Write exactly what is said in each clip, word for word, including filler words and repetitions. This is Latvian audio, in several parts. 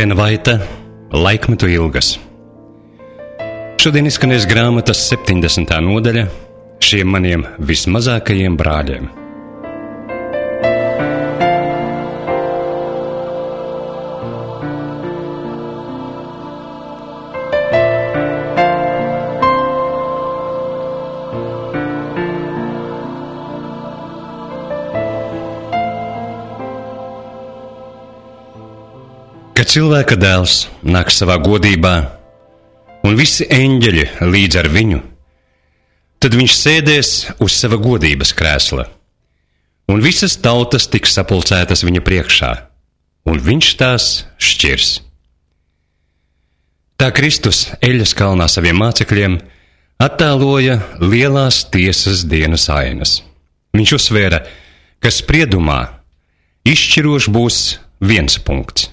Helēna Vaita, Laikmetu ilgas. Šodien izskanēs grāmatas septiņdesmitā nodaļa šiem maniem vismazākajiem brāļiem. Kad cilvēka dēls nāk savā godībā, un visi eņģeļi līdz ar viņu, tad viņš sēdēs uz sava godības krēsla, un visas tautas tiks sapulcētas viņa priekšā, un viņš tās šķirs. Tā Kristus eļļas kalnā saviem mācekļiem attēloja lielās tiesas dienas ainas. Viņš uzsvēra, ka spriedumā izšķirošs būs viens punkts.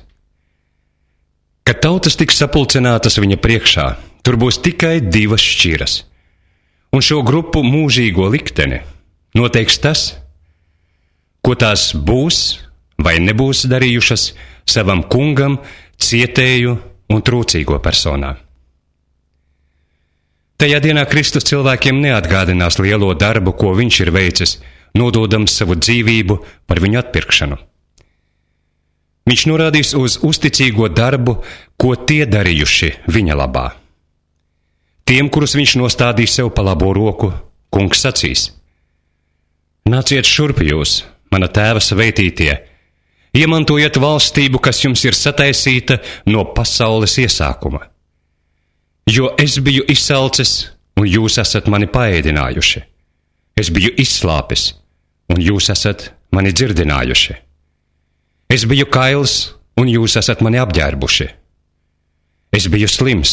Kad tautas tiks sapulcinātas viņa priekšā, tur būs tikai divas šķiras, un šo grupu mūžīgo likteni noteiks tas, ko tās būs vai nebūs darījušas savam kungam, cietēju un trūcīgo personā. Tajā dienā Kristus cilvēkiem neatgādinās lielo darbu, ko viņš ir veicis, nododams savu dzīvību par viņu atpirkšanu. Viņš norādīs uz uzticīgo darbu, ko tie darījuši viņa labā. Tiem, kurus viņš nostādīs sev pa labo roku, kungs sacīs: Nāciet šurp jūs, mana tēva svētītie, iemantojiet valstību, kas jums ir sataisīta no pasaules iesākuma. Jo es biju izsalcis, un jūs esat mani paēdinājuši. Es biju izslāpis, un jūs esat mani dzirdinājuši. Es biju kails, un jūs esat mani apģērbuši. Es biju slims,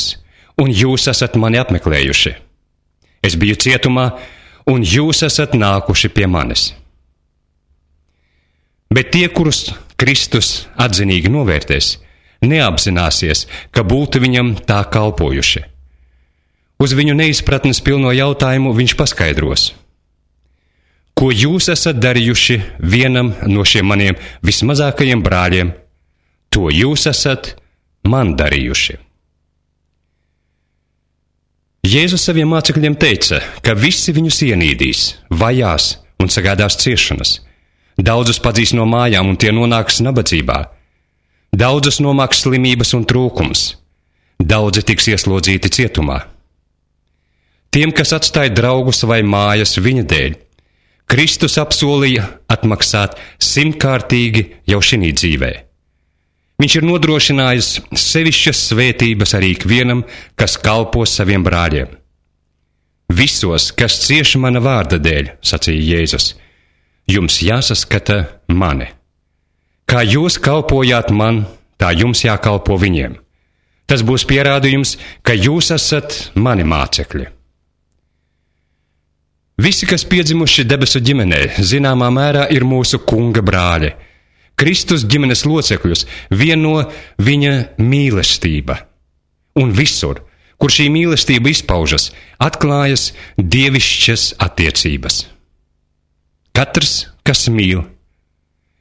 un jūs esat mani apmeklējuši. Es biju cietumā, un jūs esat nākuši pie manis. Bet tie, kurus Kristus atzinīgi novērtēs, neapzināsies, ka būtu viņam tā kalpojuši. Uz viņu neizpratnes pilno jautājumu viņš paskaidros: Ko jūs esat darījuši vienam no šiem maniem vismazākajiem brāļiem, to jūs esat man darījuši. Jēzus saviem mācekļiem teica, ka visi viņus ienīdīs, vajās un sagādās ciešanas. Daudzus padzīs no mājām, un tie nonāks nabadzībā. Daudzus nomāks slimības un trūkums. Daudzi tiks ieslodzīti cietumā. Tiem, kas atstāja draugus vai mājas viņa dēļ, Kristus apsolīja atmaksāt simtkārtīgi jau šinī dzīvē. Viņš ir nodrošinājis sevišķas svētības arī ikvienam, kas kalpo saviem brāļiem. Visos, kas cieš mana vārda dēļ, sacīja Jēzus, jums jāsaskata mani. Kā jūs kalpojāt man, tā jums jākalpo viņiem. Tas būs pierādījums, ka jūs esat mani mācekļi. Visi, kas piedzimuši debesu ģimenē, zināmā mērā ir mūsu kunga brāļi. Kristus ģimenes locekļus vieno viņa mīlestība. Un visur, kur šī mīlestība izpaužas, atklājas dievišķas attiecības. Katrs, kas mīl,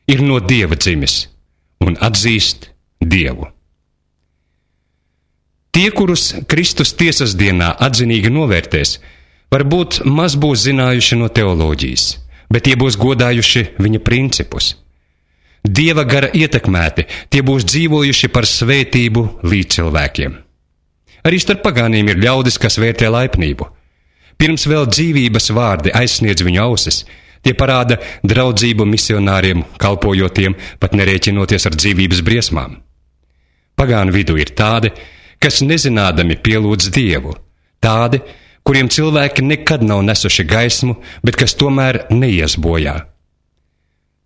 ir no Dieva dzimis un atzīst Dievu. Tie, kurus Kristus tiesas dienā atzinīgi novērtēs, varbūt maz būs zinājuši no teoloģijas, bet tie būs godājuši viņa principus. Dieva gara ietekmēti, tie būs dzīvojuši par svētību līdz cilvēkiem. Arī starp pagāniem ir ļaudis, kas vērtē laipnību. Pirms vēl dzīvības vārdi aizsniedz viņu ausis, tie parāda draudzību misionāriem, kalpojotiem, pat nerēķinoties ar dzīvības briesmām. Pagānu vidū ir tādi, kas nezinādami pielūdz Dievu, tādi, kuriem cilvēki nekad nav nesuši gaismu, bet kas tomēr neies bojā.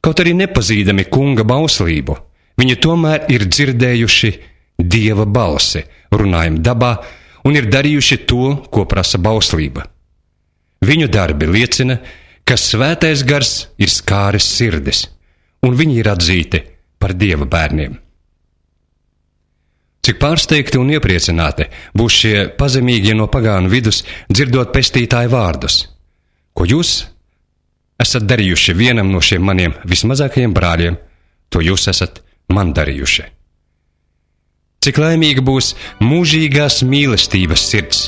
Kaut arī nepazīdami kunga bauslību, viņi tomēr ir dzirdējuši Dieva balsi, runājam dabā, un ir darījuši to, ko prasa bauslība. Viņu darbi liecina, ka svētais gars ir skāris sirdis, un viņi ir atzīti par Dieva bērniem. Cik pārsteigti un iepriecināti būs šie pazemīgie no pagānu vidus, dzirdot pestītāju vārdus: Ko jūs esat darījuši vienam no šiem maniem vismazākajiem brāļiem, to jūs esat man darījuši. Cik laimīga būs mūžīgās mīlestības sirds,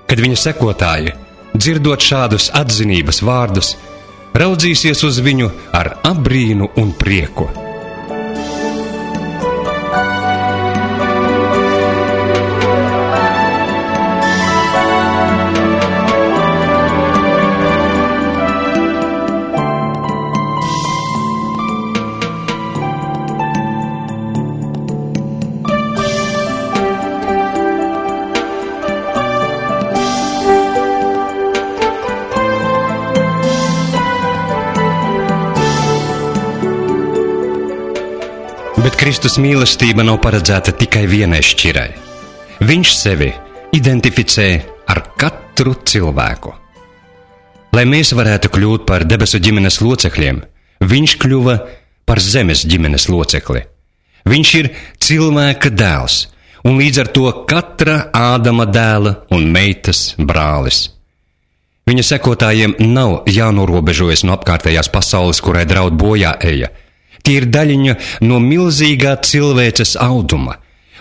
kad viņa sekotāji, dzirdot šādus atzinības vārdus, raudzīsies uz viņu ar apbrīnu un prieku. Bet Kristus mīlestība nav paredzēta tikai vienai šķirai. Viņš sevi identificē ar katru cilvēku. Lai mēs varētu kļūt par debesu ģimenes locekļiem, viņš kļuva par zemes ģimenes locekli. Viņš ir cilvēka dēls, un līdz ar to katra Ādama dēla un meitas brālis. Viņa sekotājiem nav jānorobežojas no apkārtējās pasaules, kurai draud bojā eja. Tie ir daļiņa no milzīgā cilvēces auduma,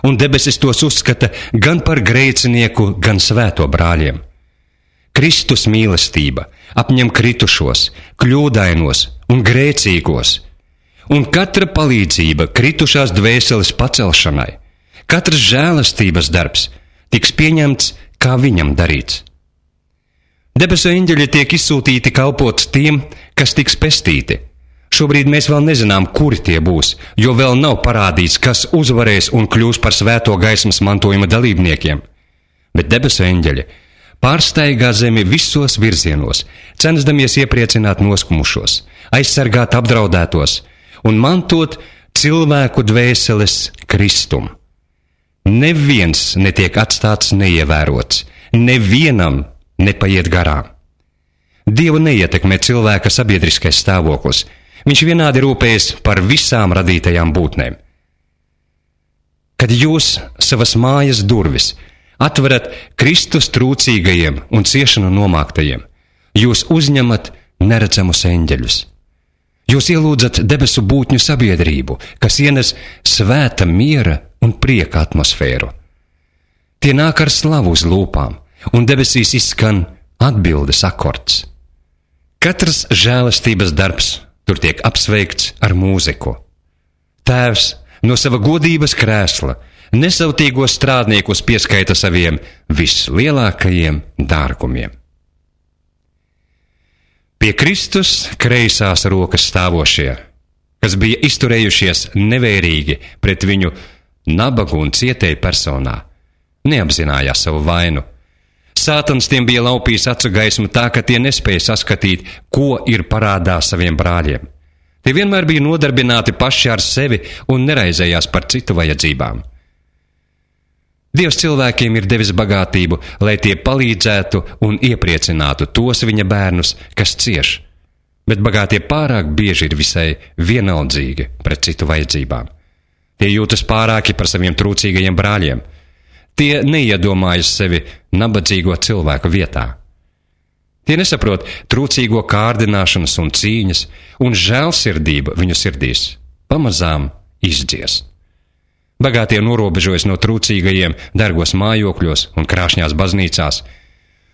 un debesis tos uzskata gan par grēcinieku, gan svēto brāļiem. Kristus mīlestība apņem kritušos, kļūdainos un grēcīgos, un katra palīdzība kritušās dvēseles pacelšanai, katrs žēlastības darbs tiks pieņemts, kā viņam darīts. Debesu eņģeļi tiek izsūtīti kalpot tiem, kas tiks pestīti. Šobrīd mēs vēl nezinām, kuri tie būs, jo vēl nav parādīts, kas uzvarēs un kļūs par svēto gaismas mantojuma dalībniekiem. Bet debesu eņģeļi pārsteigā zemi visos virzienos, censdamies iepriecināt noskumušos, aizsargāt apdraudētos un mantot cilvēku dvēseles Kristum. Neviens netiek atstāts neievērots, nevienam nepaiet garām. Dievu neietekmē cilvēka sabiedriskais stāvoklis. Viņš vienādi rūpējas par visām radītajām būtnēm. Kad jūs savas mājas durvis atverat Kristus trūcīgajiem un ciešanu nomāktajiem, jūs uzņemat neredzamus eņģeļus. Jūs ielūdzat debesu būtņu sabiedrību, kas ienes svēta miera un prieka atmosfēru. Tie nāk ar slavu uz lūpām, un debesīs izskan atbildes akords. Katrs žēlastības darbs tur tiek apsveikts ar mūziku. Tēvs no sava godības krēsla nesautīgos strādniekus pieskaita saviem vislielākajiem dārgumiem. Pie Kristus kreisās rokas stāvošie, kas bija izturējušies nevērīgi pret viņu nabagu un cietēju personā, neapzinājās savu vainu. Sātans tiem bija laupījis acu gaismu tā, ka tie nespēja saskatīt, ko ir parādā saviem brāļiem. Tie vienmēr bija nodarbināti paši ar sevi un neraizējās par citu vajadzībām. Dievs cilvēkiem ir devis bagātību, lai tie palīdzētu un iepriecinātu tos viņa bērnus, kas cieš, bet bagātie pārāk bieži ir visai vienaldzīgi pret citu vajadzībām. Tie jūtas pārāki par saviem trūcīgajiem brāļiem. Tie neiedomājas sevi nabadzīgo cilvēku vietā. Tie nesaprot trūcīgo kārdināšanas un cīņas, un žēlsirdība viņu sirdīs pamazām izdzies. Bagātie norobežojas no trūcīgajiem dārgos mājokļos un krāšņās baznīcās.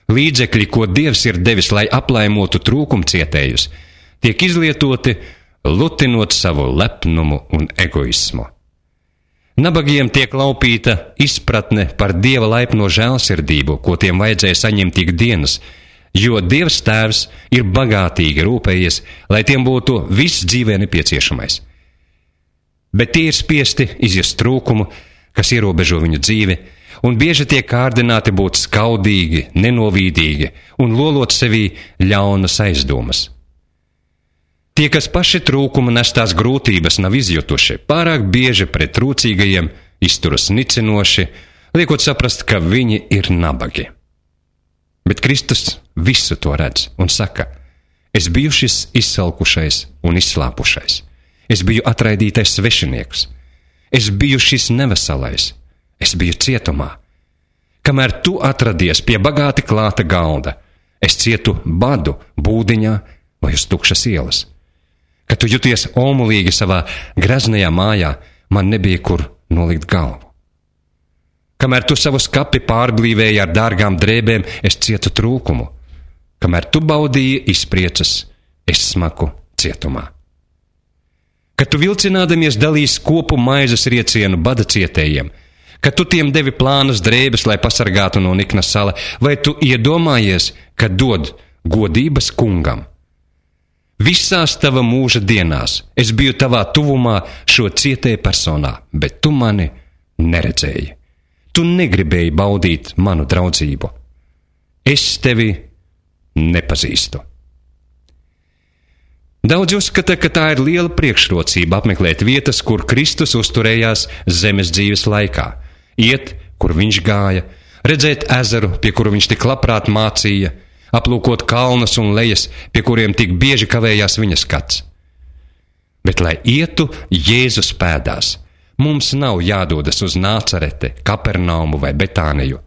Līdzekļi, ko Dievs ir devis, lai aplaimotu trūkumcietējus, tiek izlietoti, lutinot savu lepnumu un egoismu. Nabagiem tiek laupīta izpratne par Dieva laipno žēlsirdību, ko tiem vajadzēja saņemt ikdienas, jo Dievs Tēvs ir bagātīgi rūpējies, lai tiem būtu viss dzīvē nepieciešamais. Bet tie ir spiesti izjust trūkumu, kas ierobežo viņu dzīvi, un bieži tiek kārdināti būt skaudīgi, nenovīdīgi un lolot sevī ļaunas aizdomas. Tie, kas paši trūkuma nestās grūtības nav izjutuši, pārāk bieži pret trūcīgajiem izturas nicinoši, liekot saprast, ka viņi ir nabagi. Bet Kristus visu to redz un saka: es biju šis izsalkušais un izslāpušais, es biju atraidītais svešinieks, es biju šis neveselais, es biju cietumā. Kamēr tu atradies pie bagāti klāta galda, es cietu badu būdiņā vai uz tukšas ielas. Kad tu juties omulīgi savā greznajā mājā, man nebija kur nolikt galvu. Kamēr tu savu skapi pārblīvēji ar dārgām drēbēm, es cietu trūkumu. Kamēr tu baudīji izpriecas, es smaku cietumā. Kad tu vilcinādamies dalīs kopu maizes riecienu bada cietējiem, kad tu tiem devi plānas drēbes, lai pasargātu no nikna sala, vai tu iedomājies, ka dod godības kungam? Visās tava mūža dienās es biju tavā tuvumā šo cietēju personā, bet tu mani neredzēji. Tu negribēji baudīt manu draudzību. Es tevi nepazīstu. Daudz uzskata, ka tā ir liela priekšrocība apmeklēt vietas, kur Kristus uzturējās zemes dzīves laikā, iet, kur viņš gāja, redzēt ezeru, pie kura viņš tik labprāt mācīja, aplūkot kalnus un lejas, pie kuriem tik bieži kavējās viņa skats. Bet, lai ietu Jēzus pēdās, mums nav jādodas uz Nācarete, Kapernaumu vai Betāniju.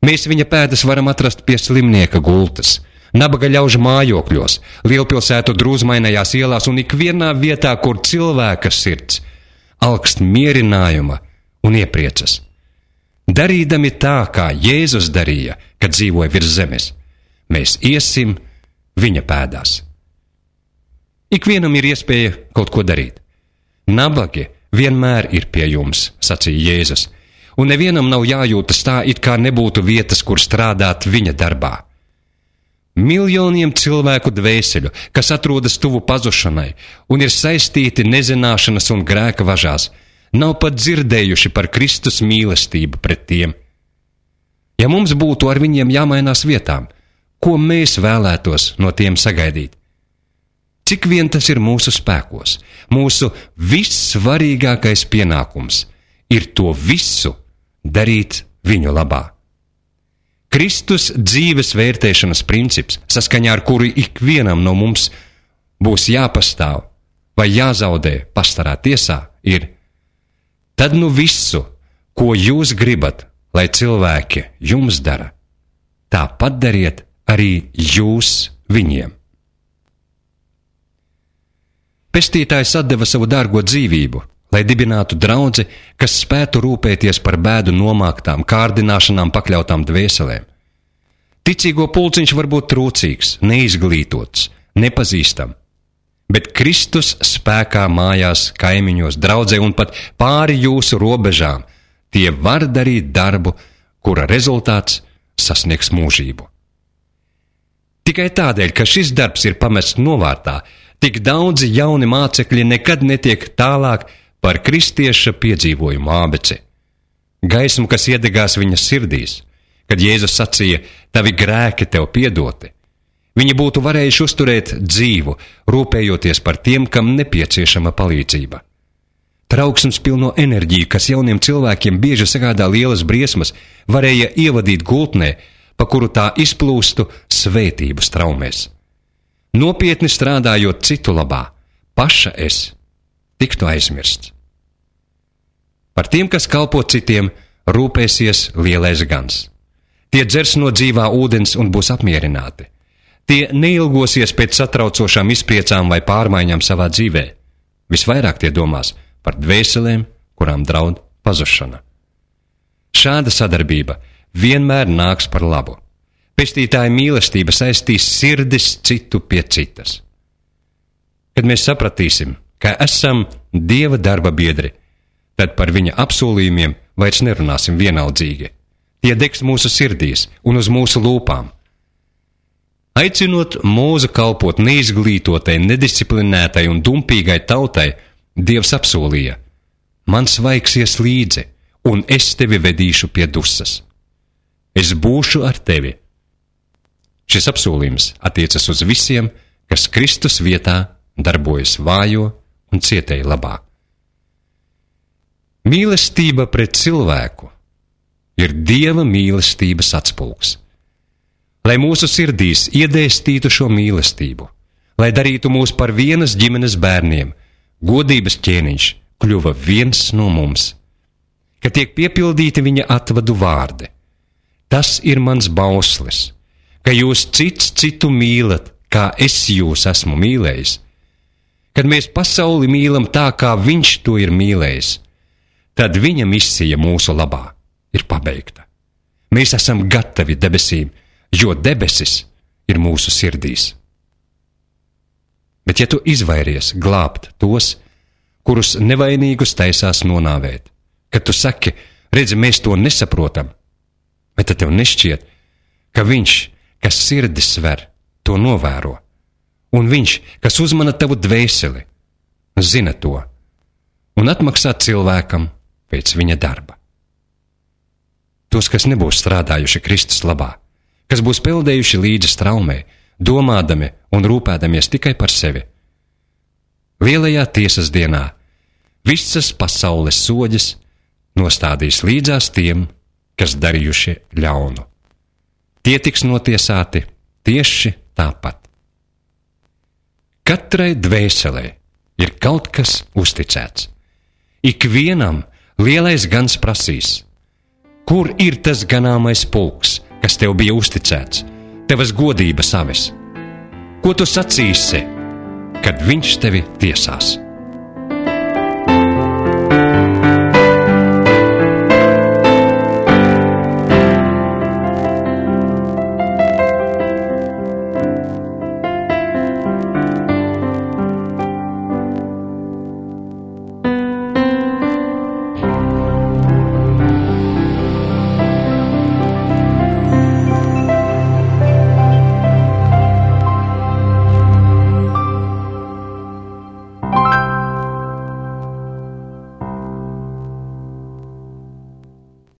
Mēs viņa pēdas varam atrast pie slimnieka gultas, nabaga ļaužu mājokļos, lielpilsētu drūzmainajās ielās un ikvienā vietā, kur cilvēka sirds alkst mierinājuma un iepriecas. Darīdami tā, kā Jēzus darīja, kad dzīvoja virs zemes, mēs iesim viņa pēdās. Ikvienam ir iespēja kaut ko darīt. Nabagi vienmēr ir pie jums, sacīja Jēzus, un nevienam nav jājūtas tā, it kā nebūtu vietas, kur strādāt viņa darbā. Miljoniem cilvēku dvēseļu, kas atrodas tuvu pazušanai un ir saistīti nezināšanas un grēka važās, nav pat dzirdējuši par Kristus mīlestību pret tiem. Ja mums būtu ar viņiem jāmainās vietām, ko mēs vēlētos no tiem sagaidīt? Cik vien tas ir mūsu spēkos, mūsu vissvarīgākais pienākums ir to visu darīt viņu labā. Kristus dzīves vērtēšanas princips, saskaņā ar kuru ikvienam no mums būs jāpastāv vai jāzaudē pastarā tiesā, ir: tad nu visu, ko jūs gribat, lai cilvēki jums dara, tāpat dariet arī jūs viņiem. Pestītājs atdeva savu dārgo dzīvību, lai dibinātu draudzi, kas spētu rūpēties par bēdu nomāktām, kārdināšanām pakļautām dvēselēm. Ticīgo pulciņš var būt trūcīgs, neizglītots, nepazīstam, bet Kristus spēkā mājās kaimiņos, draudzē un pat pāri jūsu robežām tie var darīt darbu, kura rezultāts sasniegs mūžību. Tikai tādēļ, ka šis darbs ir pamests novārtā, tik daudzi jauni mācekļi nekad netiek tālāk par kristieša piedzīvojumu ābeci. Gaismu, kas iedegās viņa sirdīs, kad Jēzus sacīja: tavi grēki tev piedoti, viņi būtu varējuši uzturēt dzīvu, rūpējoties par tiem, kam nepieciešama palīdzība. Trauksmes pilno enerģiju, kas jauniem cilvēkiem bieži sagādā lielas briesmas, varēja ievadīt gultnē, pa kuru tā izplūstu svētību straumēs. Nopietni strādājot citu labā, paša es tiktu aizmirsts. Par tiem, kas kalpo citiem, rūpēsies lielais gans. Tie dzers no dzīvā ūdens un būs apmierināti. Tie neilgosies pēc satraucošām izpriecām vai pārmaiņām savā dzīvē. Visvairāk tie domās par dvēselēm, kurām draud pazušana. Šāda sadarbība vienmēr nāks par labu. Pestītāja mīlestība saistīs sirdis citu pie citas. Kad mēs sapratīsim, ka esam Dieva darba biedri, tad par viņa apsolījumiem vairs nerunāsim vienaldzīgi. Tie degs mūsu sirdīs un uz mūsu lūpām. Aicinot mūzu kalpot neizglītotai, nedisciplinētai un dumpīgai tautai, Dievs apsolīja: mans vaigs ies līdzi, un es tevi vedīšu pie dusas. Es būšu ar tevi. Šis apsolījums attiecas uz visiem, kas Kristus vietā darbojas vājo un cietēju labā. Mīlestība pret cilvēku ir Dieva mīlestības atspulgs. Lai mūsu sirdīs iedēstītu šo mīlestību, lai darītu mūs par vienas ģimenes bērniem, godības ķēniņš kļuva viens no mums, ka tiek piepildīti viņa atvadu vārdi. Tas ir mans bauslis, ka jūs cits citu mīlat, kā es jūs esmu mīlējis. Kad mēs pasauli mīlam tā, kā viņš to ir mīlējis, tad viņa misija mūsu labā ir pabeigta. Mēs esam gatavi debesīm, jo debesis ir mūsu sirdīs. Bet ja tu izvairies glābt tos, kurus nevainīgus taisās nonāvēt, kad tu saki, redzi, mēs to nesaprotam, bet tad tev nešķiet, ka viņš, kas sirdis sver, to novēro, un viņš, kas uzmana tavu dvēseli, zina to, un atmaksā cilvēkam pēc viņa darba. Tos, kas nebūs strādājuši Kristus labā, kas būs peldējuši līdzi straumē, domādami un rūpēdamies tikai par sevi. Lielajā tiesas dienā visas pasaules soģis nostādīs līdzās tiem, kas darījuši ļaunu. Tie tiks notiesāti tieši tāpat. Katrai dvēselē ir kaut kas uzticēts. Ikvienam lielais gans prasīs, kur ir tas ganāmais pulks, kas tev bija uzticēts, tevas godības avis? Ko tu sacīsi, kad viņš tevi tiesās?